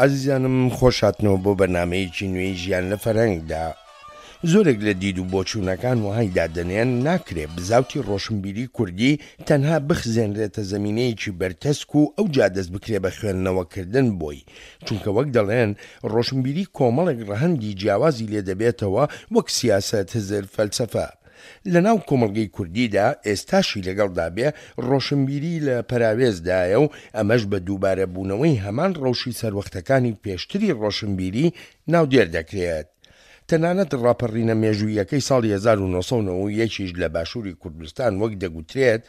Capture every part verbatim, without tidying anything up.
ئازیزانم خۆش هاتنەوە بۆ بەرنامەیەکی نوێی ژیان لە فەرهەنگدا. زۆرێک لە دید و بۆچوونەکان وەهای دادەنێن ناکرێ بزاوتی ڕۆشنبیری کوردی تەنها بخزێنرێتە زەمینەیەکی بەرتەسک و ئەوجا دەست بکرێ بە خوێندنەوەکردن بۆی، چونکە وەک دەڵێن ڕۆشنبیری کۆمەڵێک ڕەهەندی جیاوازی لێ دەبێتەوە وەک سیاسەت، هزر، فەلسەفە. لەناو کۆمەڵگەی کوردیدا ئێستاشی لەگەڵدا بێ ڕۆشنبیری لە پەراوێزدایە و ئەمەش بە دووبارەبوونەوەی هەمان ڕەوشی سەروەختەکانی پێشتری ڕۆشنبیری ناودێر دەکرێت. تەنانەت ڕاپەڕینە مێژووییەکەی ساڵی هەزار و نۆ سەد و نەوەد و یەک یش لە باشووری کوردستان وەک دەگوترێت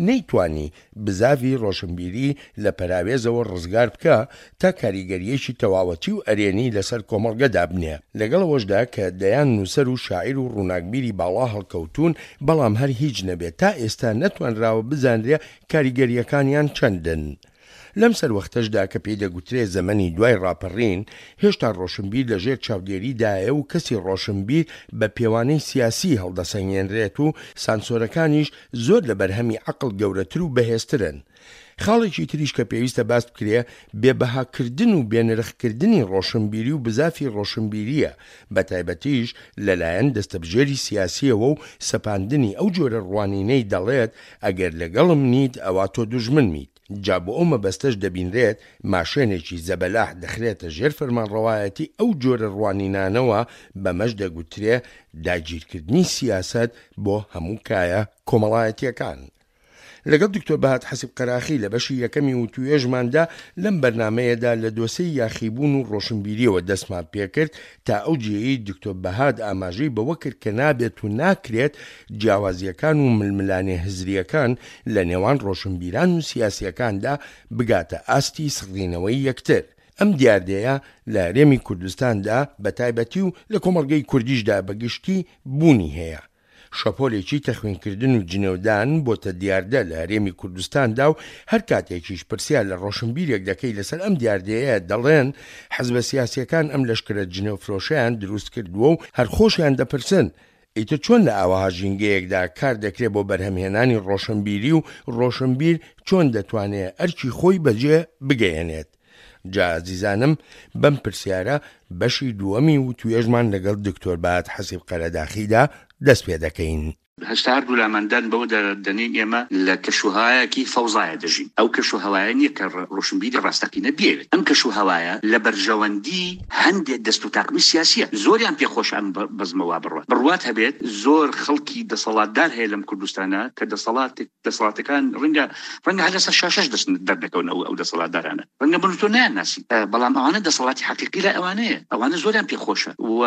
نەیتوانی بزاڤی ڕۆشنبیری لە پەراوێزەوە ڕزگار بکا تا کاریگەرییەکی تەواوەتی و ئەرێنی لەسەر کۆمەڵگە دابنێ. لەگەڵ ئەوەشدا کە دەیان نووسەر و شاعیر و ڕووناکبیری باڵا هەڵکەوتوون، بەڵام هەر هیچ نەبێ تا ئێستا نەتوانراوە بزانرێ کاریگەرییەکانیان چەندن. لەم سەروەختەشدا کە پێی دەگوترێ زەمەنی دوای ڕاپەڕین، هێشتا ڕۆشنبیر لە ژێر چاودێریدایە و کەسی ڕۆشنبیر بە پێوانەی سیاسی هەڵدەسەنگێنرێت و سانسۆرەکانیش زۆر لە بەرهەمی عەقڵ گەورەتر و بەهێزترن. خاڵێکی تریش کە پێویستە باس بکرێ، بێبەهاکردن و بێنرخکردنی ڕۆشنبیری و بزافی ڕۆشنبیرییە، بەتایبەتیش لەلایەن دەستەبژێری سیاسییەوە و سەپاندنی ئەو جۆرە ڕوانینەی دەڵێت ئەگەر لەگەڵم نیت ئەوا تۆ دوژمنمیت. جا بۆ ئەو مەبەستەش دەبینرێت ماشێنێکی زەبەلاح دەخرێتە ژێر فەرمانڕەوایەتی ئەو جۆرە ڕوانینانەوە، بەمەش دەگوترێ داگیرکردنی سیاسەت بۆ هەموو کایە کۆمەڵایەتیەکان. لەگەڵ دکتۆر بەهات حەسیب قەراخی لە بەشی یەکەمی وتوێژماندا لەم بەرنامەیەدا لە دۆسێی یاخیبوون و ڕۆشنبیریەوە دەستمان پێکرد تا ئەو جێیەی دکتۆر بەهات ئاماژەی بەوە کرد کە نابێت و ناکرێت جیاوازیەکان و ململانێ هزریەکان لە نێوان ڕۆشنبیران و سیاسیەکاندا بگاتە ئاستی سڕینەوەی یەکتر. ئەم دیاردەیە لە هەرێمی کوردستاندا بە تایبەتی و لە کۆمەڵگەی کوردیشدا بە گشتی بوونی هەیە. شەپۆلێکی تەخوینکردن و جنێودان بۆتە دیاردە لە هەرێمی کوردستاندا و هەر کاتێکیش پرسیار لە ڕۆشنبیرێک دەکەی لەسەر ئەم دیاردەیە دەڵێن حزبە سیاسیەکان ئەم لەشکرە جنێوفرۆشەیان دروست کردووە و هەر خۆشیان دەپرسن ئیتر چۆن لە ئاوەها ژینگەیەکدا کار دەکرێ بۆ بەرهەمهێنانی ڕۆشنبیری و ڕۆشنبیر چۆن دەتوانێ ئەرکی خۆی بەجێ بگەیەنێت؟ جا ئازیزانم بەم پرسیارە بەشی دووەمی وتوێژمان لەگەڵ دکتۆر بەهات حەسیب قەرەداخیدا دەست پێ دەکەین. هەشتا هەردوو لامان دان بەوەدا دەنێین ئێمە لە کەشوهەوایەکی فەوزایە دەژین. ئەو کەشوهەوایە نییە کە ڕۆشنبیری ڕاستەقینە بیەوێت. ئەم کەشوهەوایە لە بەرژەوەندی هەندێ دەست و تاقمی سیاسییە. زۆریان پێ خۆشە ئەم بەزمە وا بڕوات. بڕوات هەبێت زۆر خەڵکی دەسەڵاتدار هەیە لەم کوردستانە کە دەسەڵات دەسەڵاتەکان ڕەنگە ڕەنگە هەر لەسەر شاشەش دەست دەردەکەون ئەو ئەو دەسەڵاتدارانە. ڕەنگە من و تۆ نایانناسین، بەڵام ئەوانە دەسەڵاتی حەقیقی لای ئەوانەیە. ئەوانە زۆریان پێ خۆشە و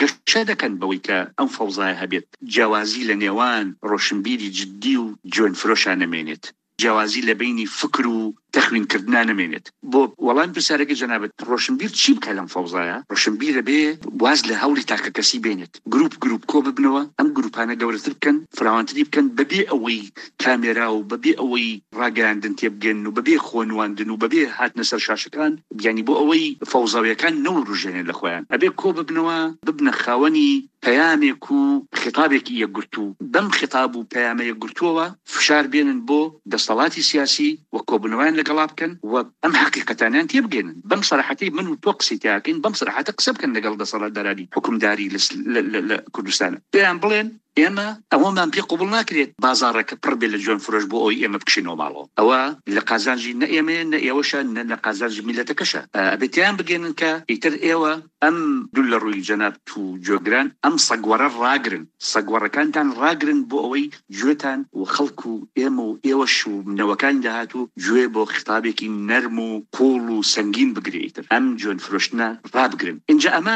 گەشە دەکەن بەوەی کە ئەم فەوزایە هەبێت. جیاوازی لە نێوان ڕۆشنبیری جدی و جوێن فرۆشا نەمێنێت، جیاوازی لە بەینی فکر و تەخوینکردنا نەمێنێت. بۆ وەڵامی پرسیارەکەی جەنابت، ڕۆشنبیر چی بکا لەم فەوزایە؟ ڕۆشنبیر ئەبێ واز لە هەوڵی تاکەکەسی بێنێت، گروپ گروپ کۆ ببنەوە، ئەم گروپانە گەورەتر بکەن، فراوانتری بکەن، بەبێ ئەوەی کامێرا و بەبێ ئەوەی ڕاگەیاندن تێبگەن و بەبێ خۆنواندن و بەبێ هاتنە سەر شاشەکان، یانی بۆ ئەوەی فەوزاویەکان نەوروژێنێن لە خۆیان، ئەبێ کۆ ببنەوە، ببنە خاوەنی پەیامێک و خیتابێکی یەکگرتوو، بەم خیتاب و پەیامە یەکگرتووەوە فشار بێنن بۆ دەسەڵاتی سیاسی و کۆبوونەوەیان لەگەڵا بکەن و ئەم حەقیقەتانیان تێبگەینن. بەم سەراحەتەی من و تۆ قسەی تیاکەین، بەم سەراحەتە قسە بکەن لەگەڵ دەسەڵاتدارانی حوکمداری لە کوردستان، پێیان بڵێن ئێمە ئەوەمان پێ قبوڵ ناکرێت بازاڕەکە پڕ بێت لە جوێن فرۆش بۆ ئەوەی ئێمە بکشینەوە ماڵەوە. ئەوە لە قازانجی نە ئێمەیە نە ئێوەشە نە لە قازانجی میللەتەکەشە. ئەبێت تێیان بگەینن کە ئیتر ئێوە ئەم دوو لە ڕووی جەنابت و گوێگران ئەم سەگوەڕە ڕاگرن، سەگوەڕەکانتان ڕاگرن بۆ ئەوەی گوێتان و خەڵک و ئێمە و ئێوەش و نەوەکانی داهاتوو گوێ بۆ خیتابێکی نەرم و قووڵ و سەنگین بگرێ، ئیتر ئەم جوێن فرۆشتنە ڕابگرن. ئینجا ئەمە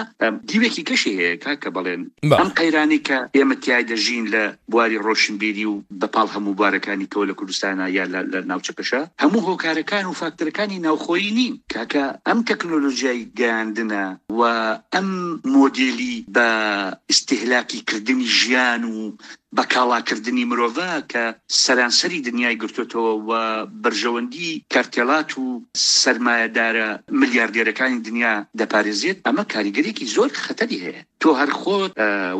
دیوێکی کەشی هەیە کاکە بەڵێن، ئەم قەیرانەی کە ئێمە تیای دەژین لە بواری ڕۆشنبیری و بە پاڵ هەموو بوارەکانی کەوە لە کوردستانا یا لە ناوچەکەشا، هەموو هۆکارەکان و فاکتەرەکانی ناوخۆیی نین کاکە. ئەم تەکنۆلۆژیای گەیاندنە و ئەم مۆدێلی بە ئیستیهلاکی کردنی ژیان و بە کاڵاکردنی مرۆڤە کە سەرانسەری دنیای گرتۆتەوە و بەرژەوەندی کارتێلات و سەرمایەدارە ملیاردێرەکانی دنیا دەپارێزێت، ئەمە کاریگەریەکی زۆر خەتەری هەیە. تۆ هەر خۆت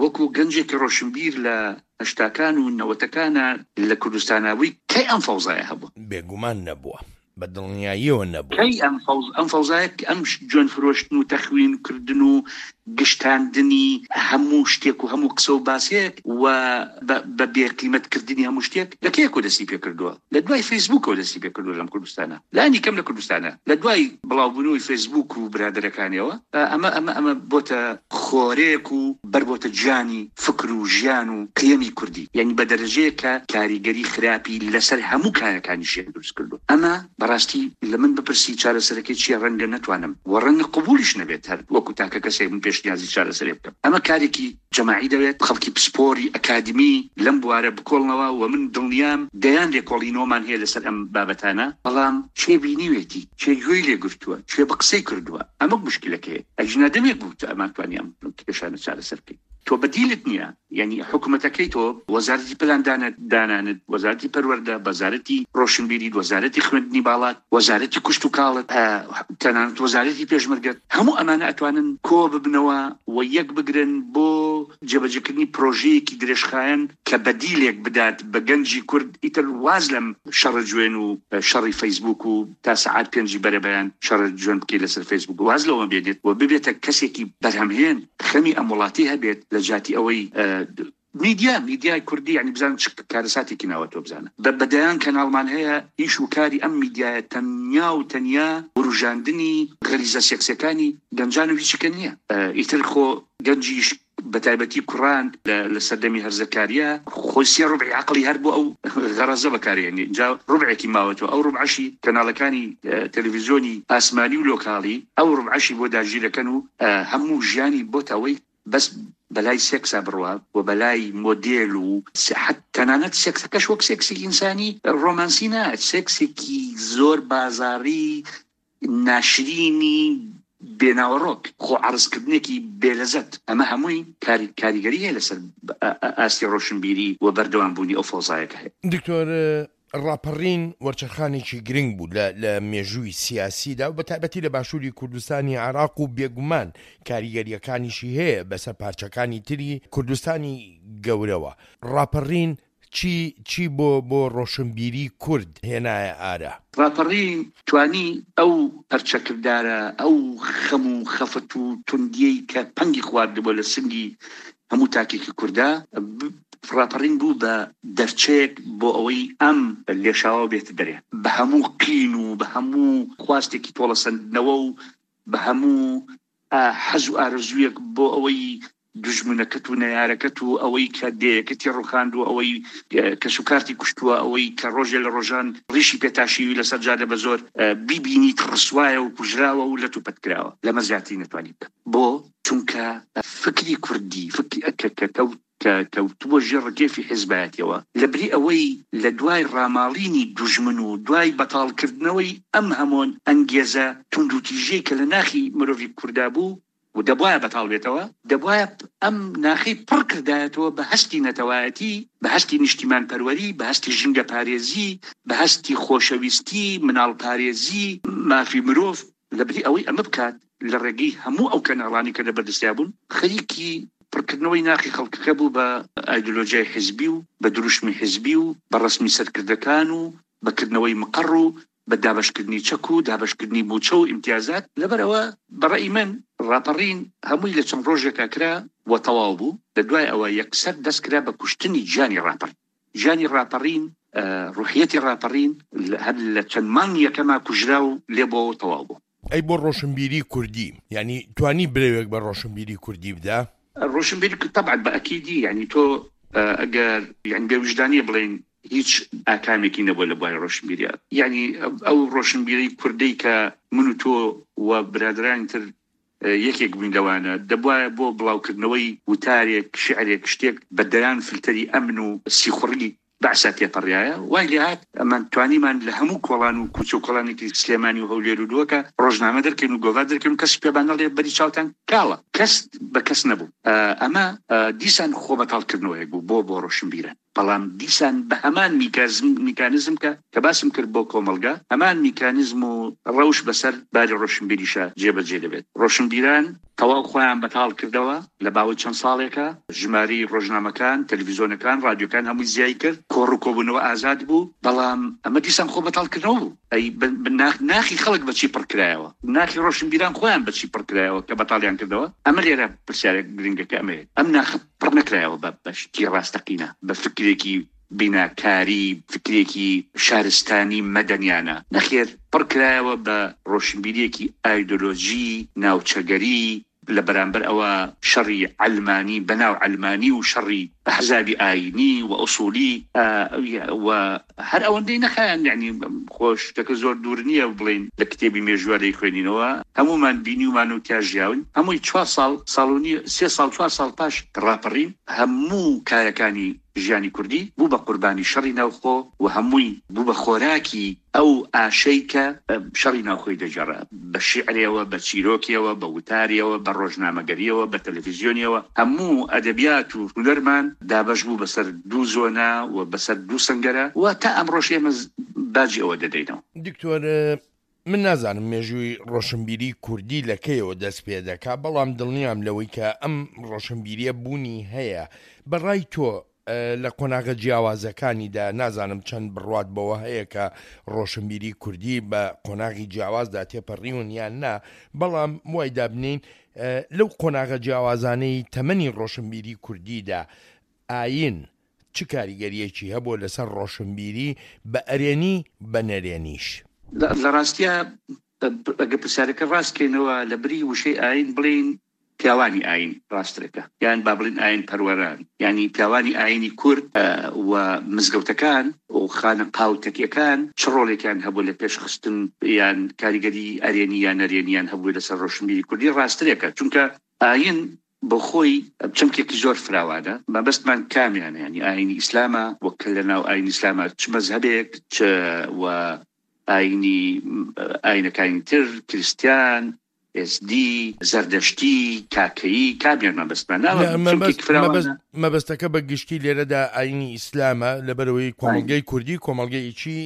وەکو گەنجێکی ڕۆشنبیر لە هەشتاکان و نەوەتەکانا لە کوردستانا بووی، کەی ئەم فەوزایە هەبووە؟ بێگومان نەبووە. بە دڵنیاییەوە نەبوو. کەی ئەم فەوز ئەم فەوزایە ئەم جوێن فرۆشتن و تەخوین کردن و گشتاندنی هەموو شتێک و هەموو قسە و باسێک و بە بێقیمەتکردنی هەموو شتێک لە کێکەوە دەستی پێکردووە؟ لە دوای فەیسبووکەوە دەستی پێکردووە لەم کوردستانە، لانی کەم لە کوردستانە، لە دوای بڵاوبوونەوەی فەیسبووک و برادەرەکانیەوە ئەمە ئەمە ئەمە بۆتە خۆرێک و بەربۆتە گیانی فکر و ژیان و قیەمی کوردی، یعنی بە دەرەجەیە کە کاریگەری خراپی لەسەر هەموو کایەکانی ژیان دروست کردووە. ئەمە بەڕاستی لە من بپرسی چارەسەرەکەی چییە ڕەنگە نەتوانم و ڕەنگە قبولیش نەبێت هەر وەکو تاکە کەسێک من پێشنیازی چارەسەرێ بکەم. ئەمە کارێکی جەماعی دەوێت، خەڵکی پسپۆری ئەکادمی لەم بوارە بکۆڵنەوە و من دڵنیام دەیان لێکۆڵینەوەمان هەیە لەسەر ئەم بابەتانە، بەڵام کێ بینیوێتی، کێ گوێی لێگرتووە، کێ بە قسەی کردووە، ئەمە مشکلەکەیە. ئەگینا دەمێک بوو کە ئەمان توانی ئەم کێشانە چارەسەر بکەین. تۆ بەدیلت نییە، یعنی حکوومەتەکەی تۆ، وەزارەتی پلان دانانت، وەزارەتی پەروەردە، وەزارەتی ڕۆشنبیریت، وەزارەتی خوێندنی باڵات، وەزارەتی کوشت و کاڵت، تەنانەت وەزارەتی پێشمەرگەت، هەموو ئەمانە ئەتوانن کۆ ببنەوە و یەک بگرن بۆ جێبەجێکردنی پرۆژەیەکی درێژخایەن کە بەدیلێک بدات بە گەنجی کورد. ئیتر واز لەم شەڕە جوێن و شەڕی فەیسبوک و تا سەعات پێنجی بەرەبەیان شەڕە جوێن بکەی لەسەر فەیسبوک، واز لەوە بێنێت و ببێتە کەسێکی بەرهەمهێن، خەمی ئەم وڵاتی هەبێت لە جاتی ئەوەی میدیا میدیای کوردی، یعنی بزانن چ کارەساتێکی ناوە تۆ بزانە. بە دەیان کەناڵمان هەیە، ئیش و کاری ئەم میدیایە تەنیا و تەنیا وروژاندنی غەریزە سێکسەکانی گەنجان و هیچیکە نییە. ئیتر خۆ گەنجیش بە تایبەتی کوڕان لە سەردەمی هەرزەکاریە خۆی سێ ڕوبعی عەقڵی هەر بۆ ئەو غەرەزە بەکارهێنێ، جا ڕوبعێکی ماوەتەوە، ئەو ڕوبعەشی کەناڵەکانی تەلەڤیزیۆنی ئاسمانی و لۆکاڵی ئەو ڕوبعەشی بۆ داگیرەکەن و هەموو ژیانی بۆتەوەی بەس بەلای سێکسا بڕوا و بەلای مۆدێل و تەنانەت سێکسەکەش وەک سێکسی ئینسانی ڕۆمانسی نا، سێکسێکی زۆر بازاڕی ناشرینی بێناوەڕۆک، خۆ عەرزکردنێکی بێلەزەت. ئەمە هەمووی کاریگەری هەیە لەسەر ئاستی ڕۆشنبیری و بەردەوامبوونی ئەو فەوزایەکە هەیە. دکتۆر، ڕاپەڕین وەرچەرخانێکی گرنگ بوو لە مێژووی سیاسیدا و بە تایبەتی لە باشووری کوردستانی عێراق و بێگومان کاریگەریەکانیشی هەیە بەسەر پارچەکانی تری کوردستانی گەورەوە. ڕاپەڕین چی چی بۆ بۆ ڕۆشنبیری کورد هێنایە ئارا؟ ڕاپەڕین توانی ئەو پەرچەکردارە، ئەو خەم و خەفەت و توندیەی کە پەنگی خواردبووە لە سنگی هەموو تاکێکی کووردا، ڕاپەڕین بوو بە دەرچەیەک بۆ ئەوەی ئەم لێشاوە بێتە دەرێ، بە هەموو قین و بە هەموو خواستێکی تۆڵەسەندنەوە و بە هەموو حەز و ئارەزوویەک بۆ ئەوەی دژمنەکەت و نەیارەکەت و ئەوەی کە دێیەکەتی ڕوخاند و ئەوەی کەس و کارتی کوشتووە، ئەوەی کە ڕۆژێ لە ڕۆژان ڕیشی پێتاشیوی لەسەر جادە بە زۆر بیبینیت ڕسوایە و کوژراوە و لەت و پەت کراوە، لەمە زیاتری نەتوانی بکە. بۆ چونکە فکری کوردی، فکری کە کەوت کە کەوتبووە ژێر ڕکێفی حیزبایەتیەوە، لەبری ئەوەی لە دوای ڕاماڵینی دوژمن و دوای بەتاڵکردنەوەی ئەم هەمۆن ئەنگێزە توندوتیژەی کە لە ناخی مرۆڤی کووردا بوو و دەبواە بەتاڵ بێتەوە، دەبواە ئەم ناخی پڕ کردایەتەوە بە هەستی نەتەوایەتی، بە هەستی نیشتیمان پەروەری، بە هەستی ژینگە پارێزی، بە هەستی خۆشەویستی، مناڵ پارێزی، مافی مرۆڤ. لەبری ئەوەی ئەمە بکات لە ڕێگەی هەموو ئەو کەناڵانی کە لە بەردەستیا بوون، خەریکی پڕکردنەوەی ناخی خەڵکەکە بوو بە ئایدۆلۆژیای حیزبی و بە دروشمی حیزبی و بە ڕەسمی سەرکردەکان و بەکردنەوەی مقەڕ و بە دابەشکردنی چەک و دابەشکردنی موچە و ئیمتیازات. لەبەرئەوە بەڕەئی من ڕاپەڕین هەمووی لە چەند ڕۆژێکا کرا و تەواو بوو. لە دوای ئەوە یەکسەر دەست کرا بە کوشتنی گیانی ڕاپەڕین. گیانی ڕاپەڕین، ڕوحیەتی ڕاپەڕین هەر لە چەند مانگ یەکەما کوژرا و لێبووەوە تەواو بوو. ئەی بۆ ڕۆشنبیری کوردی، یعنی توانی برەوێک بە ڕۆشنبیری کوردی بدا؟ ڕۆشنبیری طبعا بە ئەکیدی، یعنی تۆ ئەگەر یعنی بێویژدانیە بڵێن هیچ ئاکامێکی نەبووە لە بواری ڕۆشنبیریە، یعنی ئەو ڕۆشنبیری کوردەی کە من و تۆ و برادرانی تر یەکێک بووین لەوانە، دەبوایە بۆ بڵاوکردنەوەی وتارێک، شعرێک، شتێک بە دەیان فلتەری ئەمن و سیخوڕی بەعسا تێپەڕایە. وای لێهات ئەمان توانیمان لە هەموو کۆڵان و کوچە و کۆڵانێکی سلێمانی و هەولێر و دووەکە ڕۆژنامە دەرکەین و گۆڤار دەرکەین و کەس پێمان نەڵێ بەری چاوتان کاڵە، کەس بە کەس نەبوو. ئەمە دیسان خۆ بەتاڵکردنەوەیەک بوو بۆ بۆ ڕۆشنبیران. بەڵام دیسان بە هەمان میکانیزم کە کە باسم کرد بۆ کۆمەڵگا، هەمان میکانیزم و ڕەوش بەسەر باری ڕۆشنبیریشە جێبەجێ دەبێت. ڕۆشنبیران تەواو خۆیان بەتاڵ کردەوە لە باوەی چەند ساڵێکە، ژماری ڕۆژنامەکان، تەلەڤیزیۆنەکان، ڕادیۆکان هەمووی زیای کرد، کۆڕ و کۆبوونەوە ئازاد بوو، بەڵام ئەمە دیسان خۆ بەتاڵکردنەوە بوو. ئەی ناخی خەڵک بەچی پڕکرایەوە؟ ناخی ڕۆشنبیران خۆیان بەچی پڕکرایەوە کە بەتاڵیان کردەوە؟ ئەمە لێرە پرسیارێک گرنگەکە ئەمەیە، ئەم ناخ پڕ نەکرایەوە بە شتی ڕاستەقینە، بە فکرێکی بیناکاری، فکرێکی شارستانی مەدەنیانە. نەخێر، پڕکرایەوە بە ڕۆشنبیریەکی ئایدۆلۆژی ناوچەگەری، لە بەرامبەر ئەوە شەڕی عەلمانی بەناو عەلمانی و شەڕی ئەحزابی ئاینی و ئوسولی و هەر ئەوەندەی نەخایان. یعنی خۆش شتەکە زۆر دوور نییە بڵین لە کتێبی مێژووە لێی خوێنینەوە، هەمومان بینیومان و تیا ژیاون. هەمووی چوار ساڵ، ساڵ و نیو، سێ ساڵ، چوار ساڵ پاش ڕاپەڕین هەموو کارەکانی ژیانی کوردی بوو بە قوربانی شەڕی ناوخۆ و هەمووی بوو بە خۆراکی ئەو ئاشەی کە شەڕی ناوخۆی دەگێڕا، بە شیعرێەوە، بە چیرۆکیەوە، بە وتاریەوە، بە ڕۆژنامەگەریەوە، بە تەلەڤیزیۆنیەوە. هەموو ئەدەبیات و هونەرمان دابەش بوو بەسەر دوو زۆنا و بەسەر دوو سەنگەرە و تا ئەمڕۆش ئێمە باجی ئەوە دەدەینەوە. دکتۆر، من نازانم مێژووی ڕۆشنبیری کوردی لە کەیەوە دەست پێ دەکا، بەڵام دڵنیام لەوەی کە ئەم ڕۆشنبیریە بوونی هەیە. بەڕای تۆ لە قۆناغە جیاوازەکانیدا، نازانم چەند بڕوات بەوە هەیە کە ڕۆشنبیری کوردی بە قۆناغی جیاوازدا تێپەڕیون یان نا، بەڵام وای دابنین لەو قۆناغە جیاوازانەی تەمەنی ڕۆشنبیری کوردیدا ئاین چ کاریگەریەکی هەبوو لەسەر ڕۆشنبیری بە ئەرێنی بە نەرێنیش؟ لە ڕاستیە ئەگەر پرسیارەکە ڕاستکەینەوە لە بری وشەی ئاین بڵین پیاوانی ئاین ڕاسترەکە، یان با بڵین ئاین پەروەران، یعنی پیاوانی ئاینی کورد و مزگەوتەکان و خانەقا و تەکیەکان چ ڕۆڵێکیان هەبوو لە پێشخستن یان کاریگەری ئەرێنی یان نەرێنیان هەبوو لەسەر ڕۆشنبیری کوردی؟ ڕاسترێکە، چونکە ئاین بۆ خۆی چەمکێکی زۆر فراوانە. مەبەستمان کامیانە؟ یعنی ئاینی ئیسلامە، وەک لە ناو ئاینی ئیسلامە چ مەزهەبێک، چ و ئاینی ئاینەکانی تر، کریستیان، ئێزدی، زەردەشتی، کاکەیی، کامیان مەبەستمان؟ مەبەستەکە بە گشتی لێرەدا ئاینی ئیسلامە، لەبەرەوەی کۆمەڵگەی کوردی کۆمەڵگەیەکی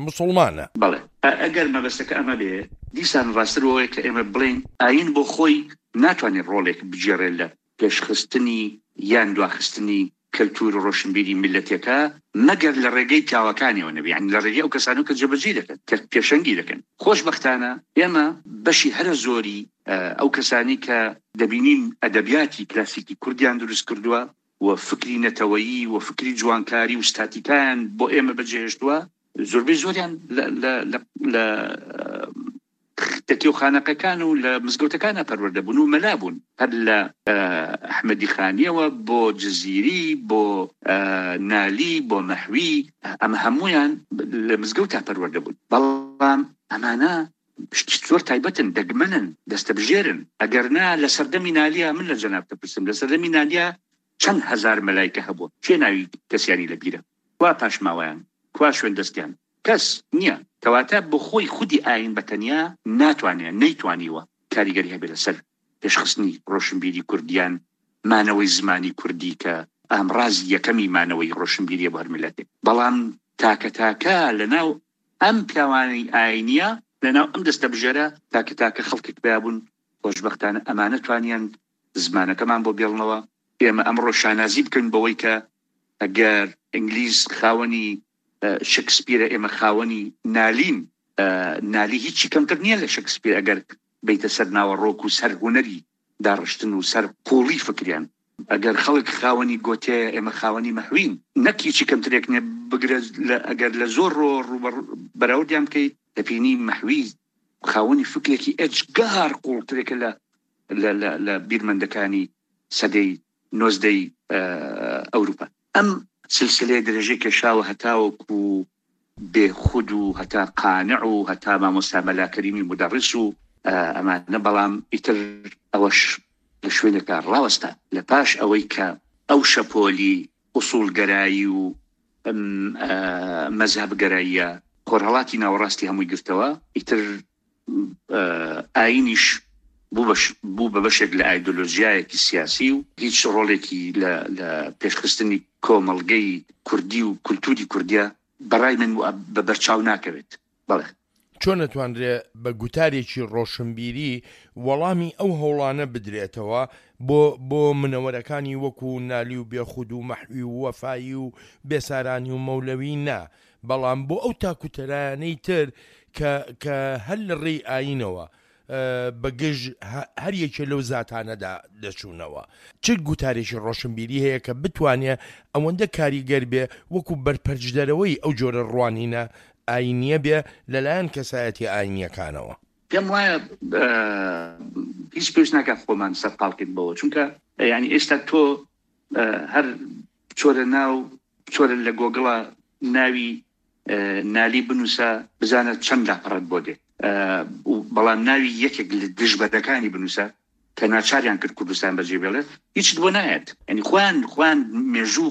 مسوڵمانە. بەڵێ، ئەگەر مەبەستەکە ئەمە بێ، دیسان ڕاستتر ئەوەیە کە ئێمە بڵێن ئاین بۆ خۆی ناتوانێت ڕۆڵێک بگێڕێت لە پێشخستنی یان دواخستنی کەلتور و ڕۆشنبیری میللەتێکە، مەگەر لە ڕێگەی پیاوەکانیەوە نەبێ، یعنی لە ڕێگەی ئەو کەسانەوە کە جێبەجێ دەکەن، کە پێشەنگی دەکەن. خۆشبەختانە ئێمە بەشی هەرە زۆری ئەو کەسانی کە دەبینین ئەدەبیاتی کلاسیکی کوردیان دروست کردووە و فکری نەتەوەیی و فکری جوانکاری و ستاتیکایان بۆ ئێمە بەجێهێشتووە، زۆربەی زۆریان لە تەکی و خانەقەکان و لە مزگەوتەکانە پەروەردە بوون و مەلا بوون، هەر لە ئەحمەدی خانیەوە بۆ جزیری، بۆ نالی، بۆ مەحوی، ئەمە هەمویان لە مزگەوتا پەروەردە بوون. بەڵام ئەمانە شتی زۆر تایبەتن، دەگمەنن، دەستەبژێرن. ئەگەر نا لە سەردەمی نالیا، من لە جەناب دەپرسم، لە سەردەمی نالیا چەند هەزار مەلایکە هەبووە؟ کێ ناوی کەسیانی لەبیرە؟ کوا پاشماوەیان؟ کوا شوێن دەستیان؟ کەس نییە. کەواتە بۆ خۆی خودی ئاین بە تەنیا ناتوانێت، نەیتوانیوە کاریگەری هەبێت لەسەر پێشخستنی ڕۆشنبیری کوردیان، مانەوەی زمانی کوردی کە ئامڕازی یەکەمی مانەوەی ڕۆشنبیریە بۆ هەر میللەتێک. بەڵام تاکە تاکە لەناو ئەم پیاوانی ئاینیە، لەناو ئەم دەستەبژێرە تاکە تاکە خەڵکێک پیا بوون. خۆشبەختانە ئەمانە توانیان زمانەکەمان بۆ بێڵنەوە. ئێمە ئەمڕۆ شانازی بکەین بەوەی کە ئەگەر ئینگلیز خاوەنی شکسپیرە، ئێمە خاوەنی نالین. نالی هیچی کەمتر نییە لە شکسپیر ئەگەر بیتە سەر ناوەڕۆک و سەر هونەری داڕشتن و سەر قوڵی فکریان. ئەگەر خەڵک خاوەنی گۆتەیە، ئێمە خاوەنی مەحوین، نەک هیچی کەمترێک نییە. بگرە ئەگەر لە زۆر ڕۆ بەراوردیان بکەیت، دەبینی مەحوی خاوەنی فکرێکی ئێجگار قوڵترێکە لە لە بیرمەندەکانی سەدەی نۆزدەی ئەوروپا. ئەم سلسلەیە درێژەی کێشاوە هەتاوەکو بێخود و هەتا قانع و هەتا مامۆستا مەلا کەریمی مودەڕیس و ئەمانە. بەڵام ئیتر ئەوەش لە شوێنێکا ڕاوەستا لە پاش ئەوەی کە ئەو شەپۆلی ئوسوڵگەرایی و مەزهەبگەراییە خۆرهەڵاتی ناوەڕاستی هەمووی گرتەوە، ئیتر ئاینیش بوو بە بەشێک لە ئایدۆلۆژیایەکی سیاسی و هیچ ڕۆڵێکی لە پێشخستنی کۆمەڵگەی کوردی و کولتوری کوردیە بەڕای من بە بەرچاو ناکەوێت. بەڵێ چۆن نەتوانرێ بە گوتارێکی ڕۆشنبیری وەڵامی ئەو هەوڵانە بدرێتەوە بۆ بۆ منەوەرەکانی وەکو نالی و بێخود و مەحوی و وەفایی و بێسارانی و مەولەوی نا، بەڵام بۆ ئەو تاکوتەرایانەی تر کە کە هەر لە ڕێی ئاینەوە بەگژ هەر یەکێ لەو زاتانەدا دەچوونەوە. چ گوتارێکی ڕۆشنبیری هەیە کە بتوانێ ئەوەندە کاریگەر بێ وەکو بەرپەرچدەرەوەی ئەو جۆرە ڕوانینە ئاینیە بێ لەلایەن کەسایەتی ئاینیەکانەوە؟ پێم وایە هیچ پێش ناکات خۆمان سەرقاڵکرد بەوە، چونکە یعنی ئێستا تۆ هەر بچۆرە ناو بچۆرە لە گۆگڵە ناوی نالی بنووسە بزانە چەند لاپەڕەت بۆ دێت، بەڵام ناوی یەکێک لە دژبەرەکانی بنووسە کە ناچاریان کرد کوردستان بەجێ بێڵێت هیچت بۆ نایەت. یعنی خۆیان خۆیان مێژوو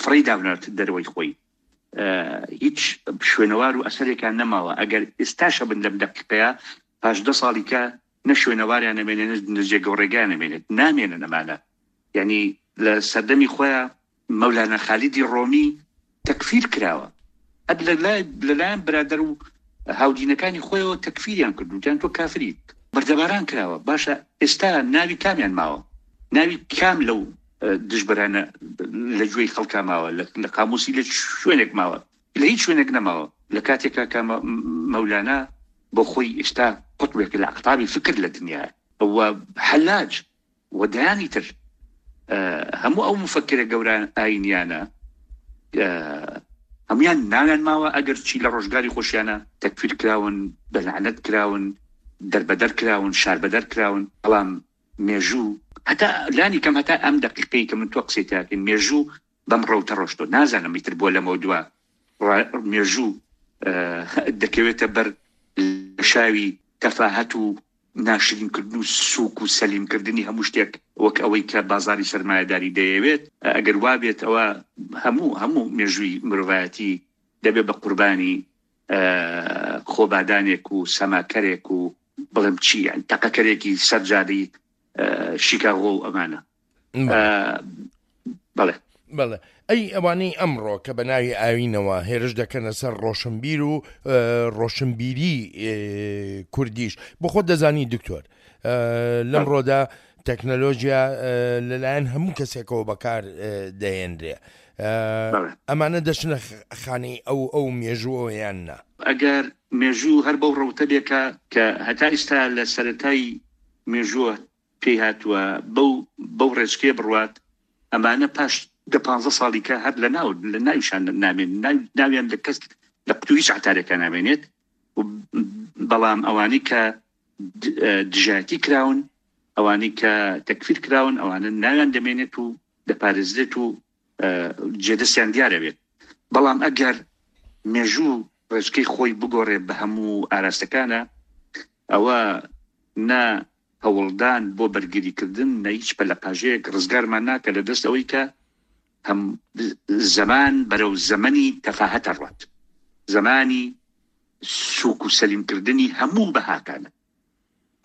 فڕێی داونات دەرەوەی خۆی، هیچ شوێنەوار و ئەسەرێکیان نەماوە. ئەگەر ئێستاشە بن لەم دەقیقەیە پاش دە ساڵی کە نە شوێنەواریان نەمێنێت نە جێگە و ڕێگایان نەمێنێت، نامێنن ئەمانە. یعنی لە سەردەمی خۆیان مەولانا خالیدی ڕۆمی تەکفیر کراوە، هەر لەلایەن برادەر و هاودینەکانی خۆیەوە تەکفیریان کردو وتیان تۆ کافریت، بەردەباران کراوە. باشە ئێستا ناوی کامیان ماوە؟ ناوی کام لەو دژبەرانە لە گوێی خەڵکا ماوە؟ لە قاموسی لە شوێنێک ماوە؟ لە هیچ شوێنێک نەماوە. لە کاتێکا کە مەولانا بۆ خۆی ئێستا قوتبێک لە ئەقتابی فکر لە دنیا و حەلاج و دەیانی تر، هەموو ئەو مفەکرە گەورە ئاینیانە هەمویان ناویان ماوە، ئەگەر چی لە ڕۆژگاری خۆشیانە تەکفیر کراون، بەلعنەت کراون، دەربەدەر کراون، شاربەدەر کراون، بەڵام مێژوو هەتا لانی کەم هەتا ئەم دقیقەی کە من تۆ قسەی تاکەین مێژوو بەم ڕەوتە ڕۆشتۆ. نازانم ئیتر بۆ لەمەوە دوا مێژوو دەکەوێتە بەر شاوی تەفاهەت و ناشرینکردن و سووک و سەلیمکردنی هەموو شتێک وەک ئەوەی کە بازاری سەرمایەداری دەیەوێت. ئەگەر وا بێت ئەوە هەموو هەموو مێژووی مرۆڤایەتی دەبێت بە قوربانی خۆبادانێک و سەماکەرێک و بڵێم چی، تەقەکەرێکی سەرجادی شیکاغۆ و ئەمانە. بەڵێ بەڵێ. ئەی ئەوانەی ئەمڕۆ کە بە ناوی ئاوینەوە هێرش دەکەنە سەر ڕۆشنبیر و ڕۆشنبیری کوردیش، بۆ خۆت دەزانی دکتۆر لەمڕۆدا تەکنەلۆژیا لەلایەن هەموو کەسێکەوە بەکار دەهێنرێ، ئەمانە دەچنە خانەی ئەو ئەو مێژووەوە یان نا؟ ئەگەر مێژوو هەر بەو ڕەوتە بێکە کە هەتا ئێستا لە سەرەتای مێژووە پێی هاتووە بەو بەو ڕێچکەیە بڕوات، ئەمانە پاش دە پانزە ساڵی کە هەر لە ناو لە ناویشان نامێن، ناویان لە کەس لە قوتوو هیچ عتارێکە نامێنێت. بەڵام ئەوانەی کە دژایەتی کراون، ئەوانەی کە تەکفیر کراون، ئەوانە ناویان دەمێنێت و دەپارێزرێت و جێدەستیان دیارە بێت. بەڵام ئەگەر مێژوو ڕێچکەی خۆی بگۆڕێ بە هەموو ئاراستەکانە، ئەوە نە هەوڵدان بۆ بەرگریکردن نە هیچ پەلەقاژەیەک ڕزگارمان ناکە لە دەست ئەوەی کە هەم زەمان بەرەو زەمەنی تەفاهەتە ڕوات، زەمانی سوک و سەلیمکردنی هەموو بەهاکانە.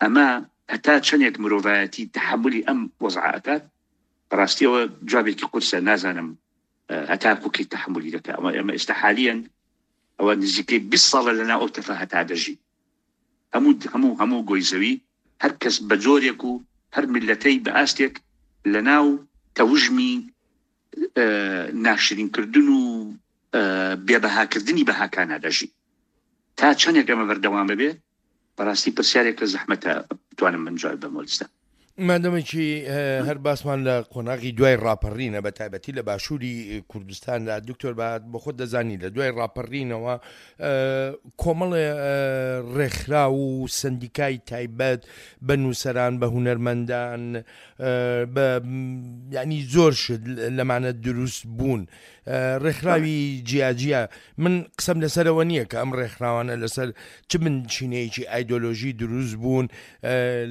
ئەمە هەتا چەندێک مرۆڤایەتی تەحەمولی ئەم وەزعە ئەکات، بەڕاستیەوە جوابێکی قورسە، نازانم هەتا کوکی تەحەمولی دەکات. ئەمە ئێمە ئێستا حالیەن ئەوە نزیکەی بیست ساڵە لەناو ئەو تەفاهەتا دەژی. هەموو هەموو هەموو گۆی زەوی هەر کەس بە جۆرێک و هەر میلەتەی بە ئاستێک لەناو تەوژمی ناشرینکردن و بێبەهاکردنی بەهاکانە دەژی. تا چەندێک ئەمە بەردەوام ببێت، بەڕاستی پرسیارێکە زەحمەتە بتوانم من جواب بەمەوە ئێستا. مادەمێکی هەر باسمان لە قۆناغی دوای ڕاپەڕینە بە تایبەتی لە باشووری کوردستاندا، دکتۆر بە بۆ خۆت دەزانی لە دوای ڕاپەڕینەوە کۆمەڵێ ڕێکخراو و سندیکای تایبەت بە نووسەران، بە هونەرمەندان، بە ینی زۆر شت لەمانە دروست بوون، ڕێکخراوی جیاجیا. من قسەم لەسەرەوە نییە کە ئەم ڕێکخراوانە لەسەر چ بنچینەیەکی ئایدۆلۆژی دروست بوون،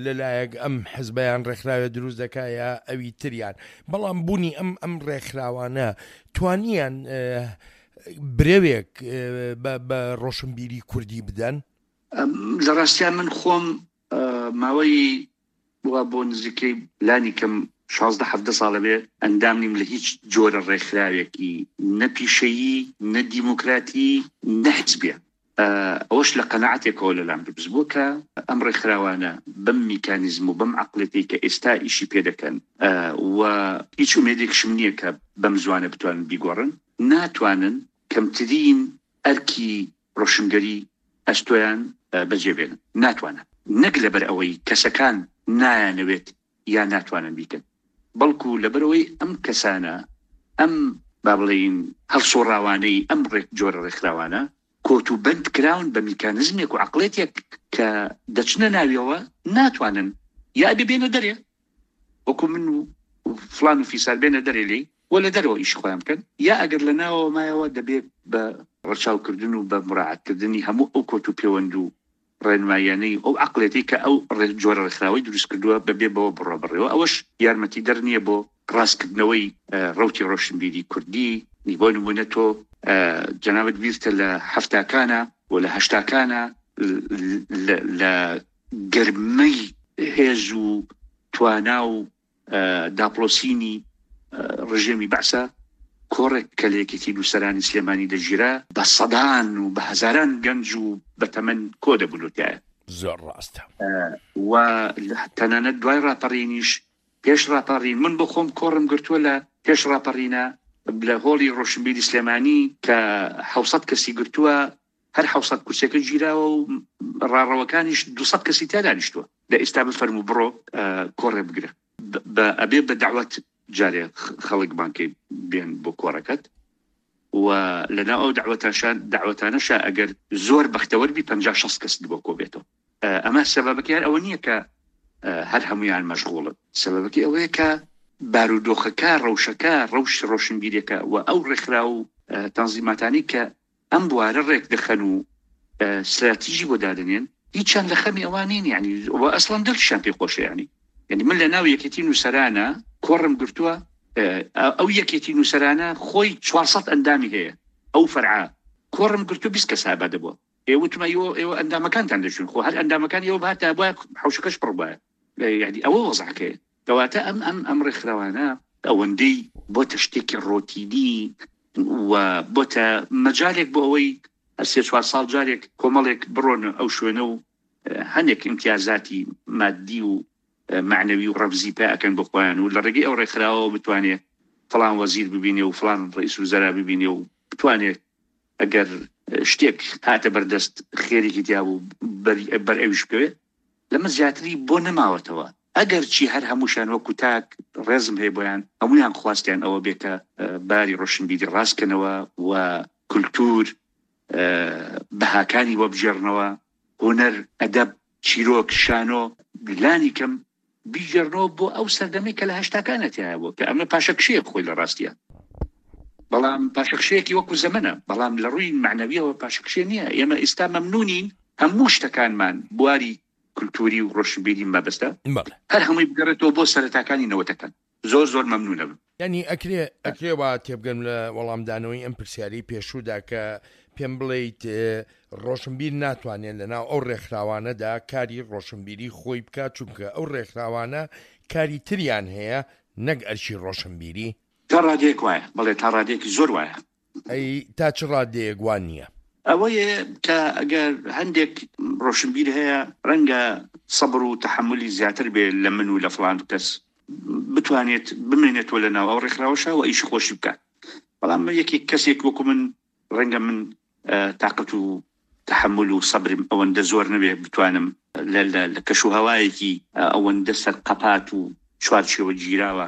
لەلایەک ئەم حزبیان ڕێکخراوێ دروست دەکا یا ئەوی تریان، بەڵام بوونی ئەم ئەم ڕێکخراوانە توانیان برەوێک بە ڕۆشنبیری کوردی بدەن؟ لە ڕاستیان من خۆم ماوەی وا بۆ نزیکەی لانی کەم شازدە حەڤدە ساڵە بێ ئەندام نیم لە هیچ جۆرە ڕێکخراوێکی نە پیشەیی نە دیموکراتی نە حزبیە. ئەوەش لە قەناعەتێکەوە لەلام دروست بووە کە ئەم ڕێکخراوانە بەم میکانیزم و بەم عەقڵێتەی کە ئێستا ئیشی پێ دەکەن و هیچ ئومێدێکشم نییە کە بەم زوانە بتوانن بیگۆڕن، ناتوانن کەمترین ئەرکی ڕۆشنگەری ئەستۆیان بەجێ بێنن. ناتوانن، نەک لەبەر ئەوەی کەسەکان نایانەوێت یا ناتوانن بیکەن، بەڵکو لەبەرەوەی ئەم کەسانە، ئەم با بڵێین هەڵسۆڕاوانەی ئەم ڕێک جۆرە ڕێکخراوانە کۆت و بەند کراون بە میکانزمێک و عەقڵێتێک کە دەچنە ناویەوە ناتوانن یا ئەبێ بێنە دەرێ وەکو من و فلان و فیسار بێنە دەرێ لێی و لە دەرەوە ئیش خۆیان بکەن، یا ئەگەر لە ناوەوە مایەوە دەبێت بە ڕەچاوکردن و بە مراعەتکردنی هەموو ئەو کۆت و پێوەند و ڕێنماییانەی ئەو عەقڵێتی کە ئەو جۆرە ڕێکخراوەی دروست کردووە بەبێ بەوە بڕۆ بڕێەوە. ئەوەش یارمەتی دەر نییە بۆ ڕاستکردنەوەی ڕەوتی ڕۆشنبیری کوردی. بۆ نمونە تۆ جەنابت بیرتە لە هەفتاکانە و لە هەشتاکانە لە گەرمەی هێز و توانا و داپڵۆسینی ڕژێمی بەعسە کۆڕێک کە لە یەکێتی نووسەرانی سلێمانی دەگیرا بە سەدان و بە هەزاران گەنج و بەتەمەن کۆ دەبوون تایە. زۆر ڕاستە. و تەنانەت دوای ڕاپەڕینیش، پێش ڕاپەڕین من بۆ خۆم کۆڕم گرتووە لە پێش ڕاپەڕینە لە هۆڵی ڕۆشنبیری سلێمانی کە حەوسەد کەسی گرتووە، هەر حەوسەد کورسیەکە گیراوە و ڕاڕەوەکانیش دووسەد کەسی تیا دانیشتووە. لە ئێستا بفەرموو بڕۆ کۆڕێ بگرە، ئەبێ بە داوەت جارێ خەڵک بانکەی بێن بۆ کۆڕەکەت و لەناو ئەو داوەتانەشا ئەگەر زۆر بەختەوەر بی پەنجا شەست کەس بۆ کۆ بێتەوە. ئەمە سەبەبەکەی هەر ئەوە نییە کە هەر هەمویان مەشغوڵن، سەبەبەکەی ئەوەیە کە بارودۆخەکە، ڕەوشەکە، ڕەوش ڕۆشنبیرەکە و ئەو ڕێکخرا و تەنزیماتانی کە ئەم بوارە ڕێک دەخەن و استراتیژی بۆ دادەنێن هیچیان لە خەمی ئەوان نین. یعنی و ئەسڵەن دڵشیان پێ خۆشە. یعنی یعنی من لە ناو یەکێتی نووسەرانە کۆڕم گرتووە، ئەو یەکێتی نووسەرانە خۆی چوارسەد ئەندامی هەیە، ئەو فەرعە کۆڕم گرتوو بیست کەس ئابادە بووە. ئێوە وتمە ئێوە ئەندامەکانتان دەچوون، خۆ هەر ئەندامەکان ئێوە بهاتە بوایە حەوشەکەش پڕ بوایە. یعنی ئەوە وەزعەکەیە. کەواتە ئەم ئەم ئەم ڕێکخراوانە ئەوەندەی بۆتە شتێکی ڕۆتینی و بۆتە مەجالێک بۆ ئەوەی هەر سێ چوار ساڵ جارێک کۆمەڵێک بڕۆنە ئەو شوێنە و هەندێک ئیمتیازاتی مادی و معنەوی و ڕەمزی پێ ئەکەن بۆ خۆیان و لە ڕێگەی ئەو ڕێکخراوەوە بتوانێت فڵان وەزیر ببینێ و فڵان ڕئیس وزەرا ببینێ و بتوانێت ئەگەر شتێک هاتە بەردەست خێرێکی تیا بوو بەر ئەویش بکەوێت، لەمە زیاتری بۆ نەماوەتەوە. ئەگەر چی هەر هەمووشیان وەکو تاک ڕێزم هەیە بۆیان، هەمویان خواستیان ئەوە بێ کە باری ڕۆشنبیری ڕاستکەنەوە و کولتور بەهاکانی وەبگێڕنەوە، هونەر، ئەدەب، چیرۆک، شانۆ لانی کەم بیگێڕنەوە بۆ ئەو سەردەمەی کە لە هەشتاکانە تیایە بوو، کە ئەمە پاشەکشەیە خۆی لە ڕاستیە، بەڵام پاشەکشەیەکی وەکو زەمەنە، بەڵام لە ڕووی معنەویەوە پاشەکشێ نییە. ئێمە ئێستا مەمنونین هەموو شتەکانمان بواری کولتوری و ڕۆشنبیری مەبەستە هەر هەمووی بگەڕێتەوە بۆ سەرەتاکانی نەوەتەکان. زۆر زۆر مەمنونە بم. یعنی ئەکرێ ئەکرێ وا تێبگەم لە وەڵامدانەوەی ئەم پرسیاری پێشوودا کە پێم بڵێیت ڕۆشنبیر ناتوانێت لەناو ئەو ڕێکخراوانەدا کاری ڕۆشنبیری خۆی بکات، چونکە ئەو ڕێکخراوانە کاری تریان هەیە نەک ئەرکی ڕۆشنبیری. تا ڕادەیەک وایە، بەڵێ تا ڕادەیەکی زۆر وایە. ئەی تا چ ڕادەیەک وان نییە؟ ئەوەیە کە ئەگەر هەندێک ڕۆشنبیر هەیە ڕەنگە سەبر و تەحەمولی زیاتر بێ لە من و لە فڵان کەس بتوانێت بمێنێتەوە لە ناو ئەو ڕێکخراوەشە و ئیشی خۆشی بکات، بەڵام یەکێک کەسێک وەکو من ڕەنگە من تاقەت و تەحەمول و سەبرم ئەوەندە زۆر نەبێ بتوانم لە کەش و هەوایەکی ئەوەندە سەرقەپات و چوارچێوە گیراوە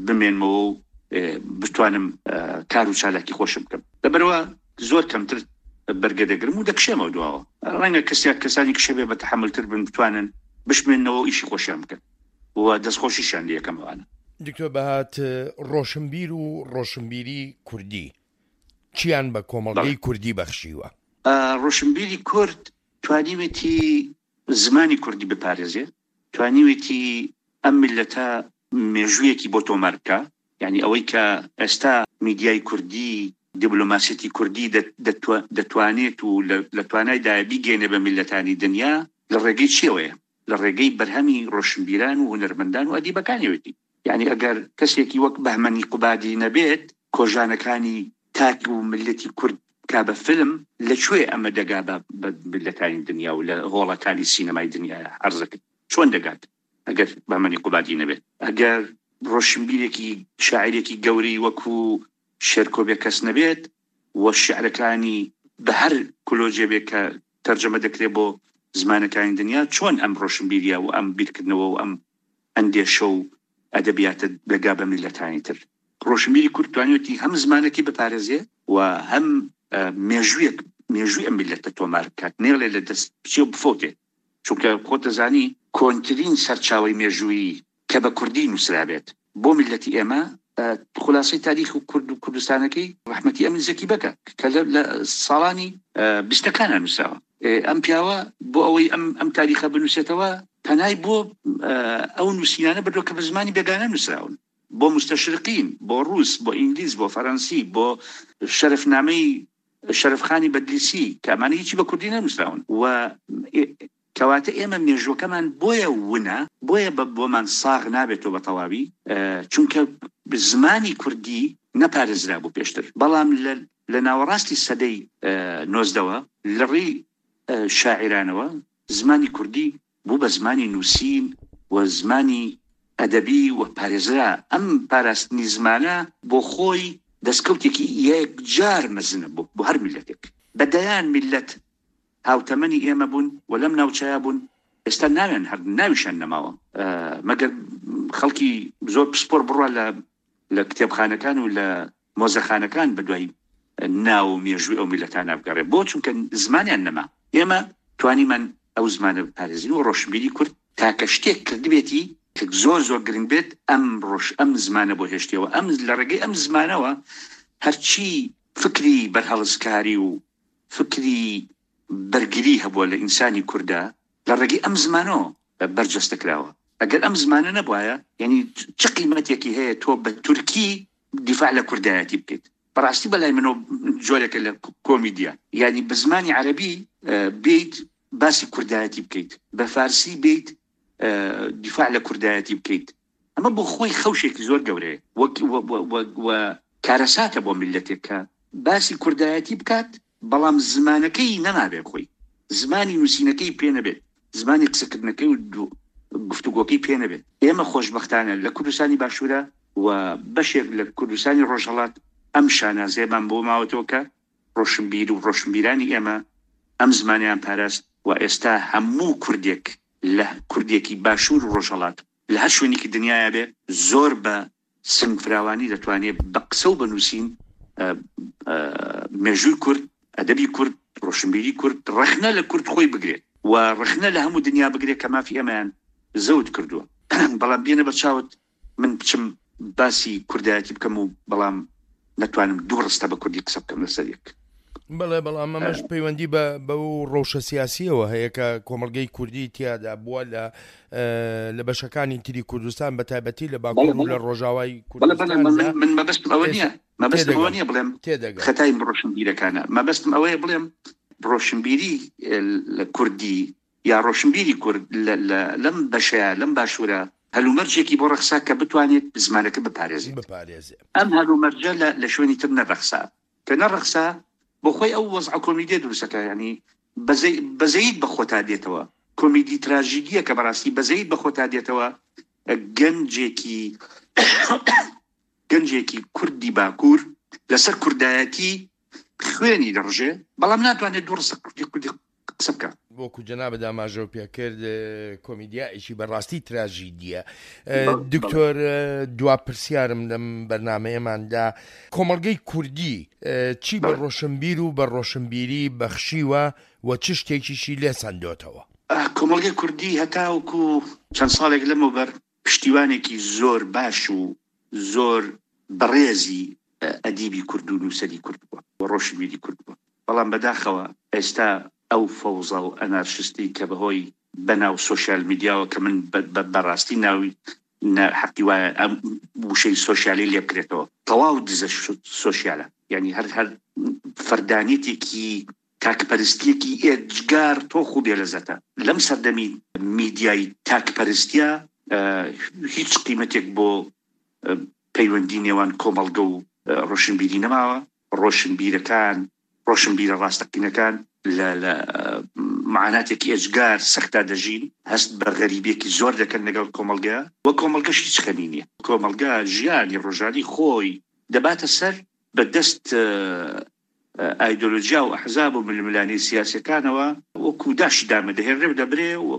بمێنمەوە و بتوانم کار و چالاکی خۆشم بکەم. لەبەرەوە زۆر کەمتر بەرگە دەگرم و دەکشێمەوە دواوە. ڕەنگە کەسێک کەسانی کشەبێ بە تەحەمولتر بن بتوانن بشمێنەوە و ئیشی خۆشیان بکەن و دەستخۆشیشیان لێ یەکەمەوانە. دکتۆر بەهات، ڕۆشنبیر و ڕۆشنبیری کوردی چیان بە کۆمەڵگەی کوردی بەخشیوە؟ ڕۆشنبیری کورد توانیوێتی زمانی کوردی بپارێزێ، توانیوێتی ئەم میللەتە مێژوویەکی بۆ تۆمار بکە. یعنی ئەوەی کە ئێستا میدیای کوردی، دیبلۆماسیەتی کوردی دەتوانێت و لە توانایدا بیگەینێ بە میللەتانی دنیا لە ڕێگەی چیەوەیە؟ لە ڕێگەی بەرهەمی ڕۆشنبیران و هونەرمەندان و ئەدیبەکانیەوەتی. یعنی ئەگەر کەسێکی وەک بەهمەنی قوبادی نەبێت کۆژانەکانی تاک و ملەتی کورد کا بە فیلم، لەکوێ ئەمە دەگا بە ملەتانی دنیا و لە هۆڵەکانی سینەمای دنیا عەرزەکرد؟ چۆن دەگات ئەگەر بەهمەنی قوبادی نەبێت؟ ئەگەر ڕۆشنبیرێکی شاعیرێکی گەورەی وەکو شێرکۆ بێکەس نەبێت و شعرەکانی بە هەر کۆلۆجێ بێت کە تەرجەمە دەکرێت بۆ زمانەکانی دنیا، چۆن ئەم ڕۆشنبیریە و ئەم بیرکردنەوە و ئەم ئەندێشە و ئەدەبیاتە دەگا بە میللەتانی تر؟ ڕۆشنبیری کورد توانیوەتی هەم زمانەکەی بپارێزێ و هەم مێژوویەک مێژووی ئەم میللەتە تۆمار بکات، نێڵێ لە دەست بچێ و بفەوتێت. چونکە خۆت دەزانی کۆنترین سەرچاوەی مێژوویی کە بە کوردی نووسرابێت بۆ میللەتی ئێمە خلاصەی تاریخ و کورد و کوردستانەکەی ڕەحمەتی ئەمین زەکی بەکە کە لە ساڵانی بیستەکانە نووسراوە. ئەم پیاوە بۆ ئەوەی ئەم ئەم تاریخە بنووسێتەوە پەنای بۆ ئەو نووسینانە بردووە کە بە زمانی بێگانە نووسراون، بۆ مستەشرقین، بۆ ڕووس، بۆ ئینگلیز، بۆ فەرەنسی، بۆ شەرفنامەی شەرفخانی بەدلیسی کە ئەمانە هیچی بە کوردی نەنووسراون. و کەواتە ئێمە مێژوەکەمان بۆیە ونە، بۆیە بە بۆمان ساغ نابێتەوە بە تەواوی، چونکە زمانی کوردی نەپارێزرا بوو پێشتر. بەڵام لە ناوەڕاستی سەدەی نۆزدەوە لە ڕێی شاعیرانەوە زمانی کوردی بوو بە زمانی نووسین و زمانی ئەدەبی و پارێزرا. ئەم پاراستنی زمانە بۆ خۆی دەستکەوتێکی یەکجار مەزنە بۆ هەر میللەتێک. بە دەیان میللەت هاوتەمەنی ئێمە بوون و لەم ناوچەیە بوون، ئێستا ناویان هەر ناویشان نەماوە، مەگەر خەڵکی زۆر پسپۆر بڕوا لە لە کتێبخانەکان و لە مۆزەخانەکان بەدوای ناو و مێژووی ئەو میللەتانە بگەڕێ، بۆ چونکە زمانیان نەما. ئێمە توانیمان ئەو زمانە بپارێزین و ڕۆشنبیری کورد تاکە شتێک کردبێتی کە زۆر زۆر گرنگ بێت ئەم ڕۆژ ئەم زمانە بۆ هێشتیەوە. ئەم لە ڕێگەی ئەم زمانەوە هەرچی فکری بەرهەڵستکاری و فکری بەرگری هەبووە لە ئینسانی کووردا لە ڕێگەی ئەم زمانەوە بەرجەستە کراوە. ئەگەر ئەم زمانە نەبوایە، یعنی چ قیمەتێکی هەیە تۆ بە تورکی دیفاع لە کوردایەتی بکەیت؟ بەڕاستی بەلای منەوە جۆرێکە لە کۆمیدیا. یعنی بە زمانی عەرەبی بیت باسی کوردایەتی بکەیت، بە فارسی بیت دیفاع لە کوردایەتی بکەیت، ئەمە بۆ خۆی خەوشێکی زۆر گەورەیە و کارەساتە بۆ میللەتێک کە باسی کوردایەتی بکات بەڵام زمانەکەی نەمابێت، خۆی زمانی نووسینەکەی پێ نەبێت، زمانی قسەکردنەکەی و گفتوگۆکەی پێ نەبێت. ئێمە خۆشبەختانە لە کوردستانی باشوورە و بەشێک لە کوردستانی ڕۆژهەڵات ئەم شانازیەمان بۆ ماوەتەوە کە ڕۆشنبیر و ڕۆشنبیرانی ئێمە ئەم زمانیان پاراست و ئێستا هەموو کوردێک لە کوردێکی باشوور و ڕۆژهەڵات لە هەر شوێنێکی دنیاە بێ زۆر بە سنگ فراوانی دەتوانێت بە قسە و بە نووسین مێژووی کورد، ئەدەبی کورد، ڕۆشنبیری کورد، ڕەخنە لە کورد خۆی بگرێت و ڕەخنە لە هەموو دنیا بگرێت کە مافی ئەمەیان زەوت کردووە. بەڵام بێنە بە چاوت من بچم باسی کوردایەتی بکەم و بەڵام نەتوانم دوو ڕستە بە کوردی قسە بکەم لەسەر یەک. بەڵێ، بەڵام ئەمەش پەیوەندی بە بەو ڕەوشە سیاسیەوە هەیە کە کۆمەڵگەی کوردی تیادا بووە لە لە بەشەکانی تری کوردستان، بە تایبەتی لە باکوور و لە ڕۆژاوای کوردستان. من مەبەستم ئەوە نییە، مەبەستم ئەوە نییە بڵێم خەتای ڕۆشنبیرەکانە، مەبەستم ئەوەیە بڵێم ڕۆشنبیری لە کوردی یا ڕۆشنبیری کورد لەم بەشەیە لەم باشوورە هەلومەرجێکی بۆ ڕەخسا کە بتوانێت زمانەکە بپارێزێت. ئەم هەلومەرجە لە شوێنی تر نەڕەخسا، کە نەڕەخسا بۆ خۆی ئەو وەزعە کۆمیدیە دروستەکە، ینی بەزەیت بە خۆتا دێتەوە، کۆمیدی تراژیدیە کە بەڕاستی بەزەیت بە خۆتا دێتەوە. گەنجێکی گەنجێکی کوردی باکوور لەسەر کوردایەتی خوێنی دەڕژێ، بەڵام ناتوانێت دوو ڕستە کوردی کوردی قسە بکە. وەکو جەنابت ئاماژەو پێکرد کۆمیدیایکی بەڕاستی تراژیدیە. دکتۆر، دوا پرسیارم لەم بەرنمەیەماندا، کۆمەڵگەی کوردی چی بە ڕۆشنبیر و بە ڕۆشنبیری بەخشیوە و چ شتێکیشی لێ سەندۆتەوە؟ کۆمەڵگەی کوردی هەتاوەکو چەند ساڵێک لەمەوبەر پشتیوانێکی زۆر باش و زۆر بەڕێزی ئەدیبی کورد و نووسەری کورد بووە و ڕۆشنبیری کورد بووە، بەڵام بەداخەوە ئێستا ئەو فەوزا و ئەنارشستی کە بەهۆی بەناو سۆشیال میدیاوە کە من بەڕاستی ناوی حەقی وایە ئەم وشەی سۆشیالی لێ بکرێتەوە، تەواو دزە سۆشیالە، یعنی هەر هەر فەردانیەتێکی تاکپەرستیەکی ئێجگار تۆخ و بێلەزەتە. لەم سەردەمی میدیای تاکپەرستیە هیچ قیمەتێک بۆ پەیوەندی نێوان کۆمەڵگە و ڕۆشنبیری نەماوە. ڕۆشنبیرەکان، ڕۆشنبیرە ڕاستەقینەکان لە لە معاناتێکی ئێجگار سەختا دەژین، هەست بە غەریبیەکی زۆر دەکەن لەگەڵ کۆمەڵگە و کۆمەڵگەش هیچ خەمی نییە. کۆمەڵگە ژیانی ڕۆژانی خۆی دەباتە سەر بە دەست ئایدۆلۆژیا و ئەحزاب و ململانێ سیاسیەکانەوە وەکو داشی دامە دەهێنرێ و دەبرێ و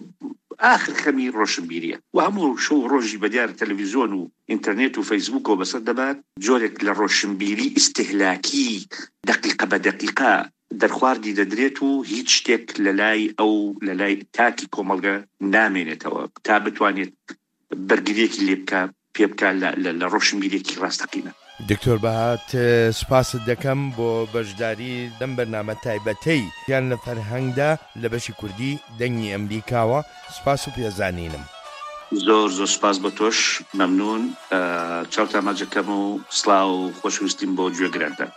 ئاخر خەمی ڕۆشنبیریە و هەموو شەو ڕۆژی بە دیار تەلەڤیزیۆن و ئینتەرنێت و فەیسبوکەوە بەسەر دەبات. جۆرێک لە ڕۆشنبیری ئیستیهلاکی دقیقە بە دقیقە دەرخواردی دەدرێت و هیچ شتێک لە لای ئەو لە لای تاکی کۆمەڵگە نامێنێتەوە تا بتوانێت بەرگریەکی لێ بکە پێ بکە لە ڕۆشنبیرێکی ڕاستەقینە. دکتۆر بەهات، سوپاست دەکەم بۆ بەشداری لەم بەرنامە تایبەتەی ژیان لە فەرهەنگدا لە بەشی کوردی دەنگی ئەمریکاوە. سوپاس و پێزانینم. زۆر زۆر سوپاس بۆ تۆش، مەمنون. چاوتان ماجەکەم و سڵاو و خۆشویستیم بۆ گوێگرانتان.